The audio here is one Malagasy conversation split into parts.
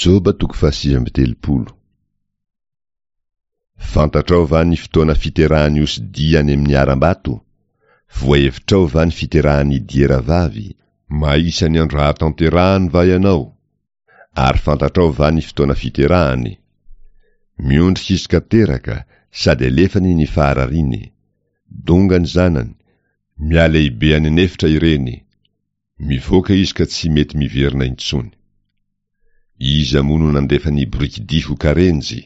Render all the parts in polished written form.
Joba toko fahasivy amby 39. Fantatrao va ny fotoana fiterahan'ny osidia any amin'ny harambato? Voahevitrao va ny fiterahan'ny diera vavy? Mahisa ny andro hahatanterahany va ianao? Ary fantatrao va ny fotoana fiterahany? Miondrika izy ka teraka, sady alefany ny faharariany. Donga ny zanany, mihalehibe any an'efitra ireny. Mivoaka izy ka tsy mety miverina intsony. Iza moa no nandefa ny borikidia ho karenjy?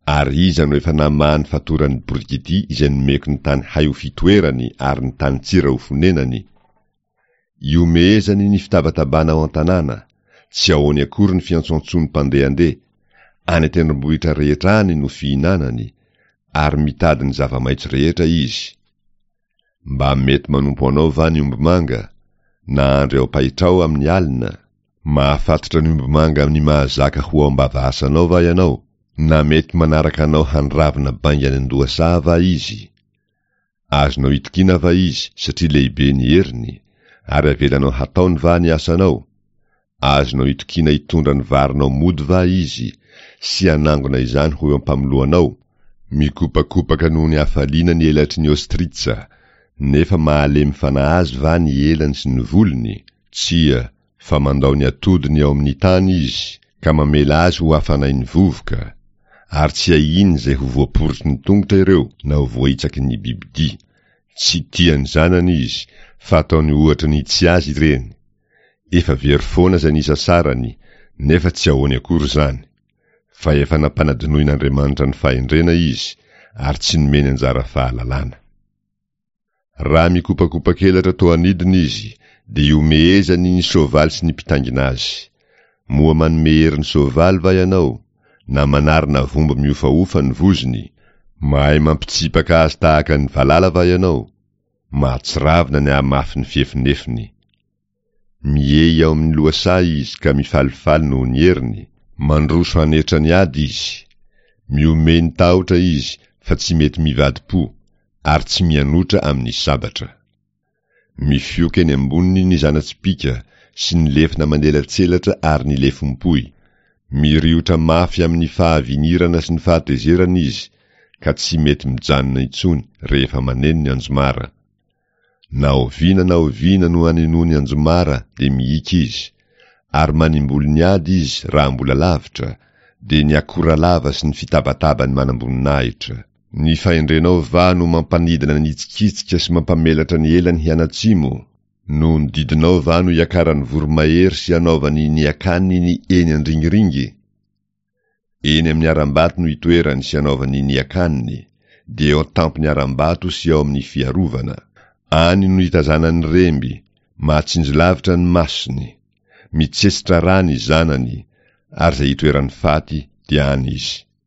Ary iza no efa namaha ny fatoran'ny borikidia izay nomeko ny tany hay ho fitoerany ary ny tany tsira ho fonenany? Ihomehezany ny fitabatabana ao an-tanàna, tsy ahoany akory ny fiantsoantsoan'ny mpandehandeha, any an-tendrombohitra rehetra any no fihinanany, ary mitady ny zava-maitso rehetra izy. Mba mety manompo anao va ny ombimanga, na andry ao am-pahitrao amin'ny alina? Mahafatotra ny ombimanga amin'ny mahazaka ho ao am-bava-asanao va ianao, na mety manaraka anao handravina bainga any an-dohasaha va izy? Azonao itokiana va izy satria lehibe ny heriny, ary avelanao hataony va ny asanao? Azonao itokiana hitondra ny varinao mody va izy, sy hanangona izany ho eo am-pamoloanao? Mikopakopaka noho ny hafaliana ny elatry ny ostritsa, nefa mahalemy fanahy azy va ny elany sy ny volony? Tsia, fa mandao ny atodiny ao amin'ny tany izy, ka mamela azy ho hafanain'ny vovoka, ary tsy ahiany izay ho voaporotry ny tongotra ireo na ho voahitsaky ny bibidia. Tsy tia ny zanany izy, fa ataony ohatra ny tsy azy ireny. Efa very foana izay nisasarany, nefa tsy ahoany akory izany, fa efa nampanadinoin'Andriamanitra ny fahendrena izy, ary tsy nomeny anjara fahalalana. Raha mikopakopak'elatra toa anidina izy, dia ihomehezany ny soavaly sy ny mpitaingina azy. Moa manome hery ny soavaly va ianao, na manarina vombo mihofahofa ny vozony? Mahay mampitsipaka azy tahaka ny valala va ianao? Mahatsiravina ny hamafin'ny fiefinefiny. Miehy ao amin'ny lohasaha izy ka mifalifaly noho ny heriny, mandroso hanetra ny ady izy. Mihomehy ny tahotra izy fa tsy mety mivadi-po, ary tsy mianotra amin'ny sabatra. Mifioka eny amboniny ny zana-tsipìka sy ny lefona manelatselatra ary ny lefom-pohy. Miriotra mafy amin'ny fahavinirana sy ny fahatezerana izy, ka tsy mety mijanona intsony rehefa maneno ny anjomara. Na oviana na oviana no anenoany anjomara dia mihiaka izy, ary manimbolo ny ady izy raha mbola lavitra, dia ny akoralava sy ny fitabataban'ny manamboninahitra. Ny fahendrenao va no mampanidina ny hitsikitsika sy mampamelatra ny elany hianatsimo? Noho ny didinao va no iakaran'ny voromahery sy anaovany ny akaniny eny andringiringy? Eny amin'ny harambato no itoerany sy anaovany ny akaniny, dia eo an-tampon'ny harambato sy ao amin'ny fiarovana. Any no itazanany remby, mahatsinjo lavitra ny masony. Mitsetsitra rà ny zanany, ary izay itoeran'ny faty dia any izy.